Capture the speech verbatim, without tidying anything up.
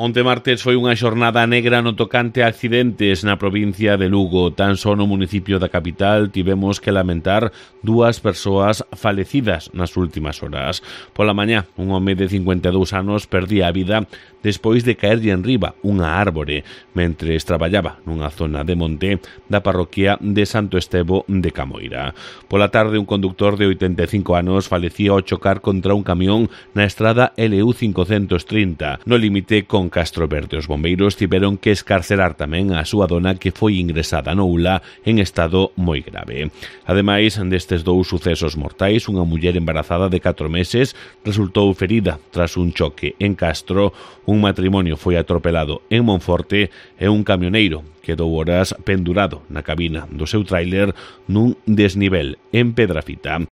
Onte martes foi unha xornada negra no tocante a accidentes na provincia de Lugo. Tan só no municipio da capital tivemos que lamentar dúas persoas falecidas nas últimas horas. Pola mañá, un home de cincuenta e dous anos perdía a vida despois de caerlle enriba unha árbore mentres traballaba nunha zona de monte da parroquia de Santo Estevo de Camoira. Pola tarde, un conductor de oitenta e cinco anos falecía ao chocar contra un camión na estrada L U cincocentos trinta, no límite con Castro Verde. Os bombeiros tiveron que escarcerar tamén a súa dona, que foi ingresada no U L A en estado moi grave. Ademais destes dous sucesos mortais, unha muller embarazada de catro meses resultou ferida tras un choque en Castro, un matrimonio foi atropelado en Monforte e un camioneiro quedou horas pendurado na cabina do seu tráiler nun desnivel en Pedrafita.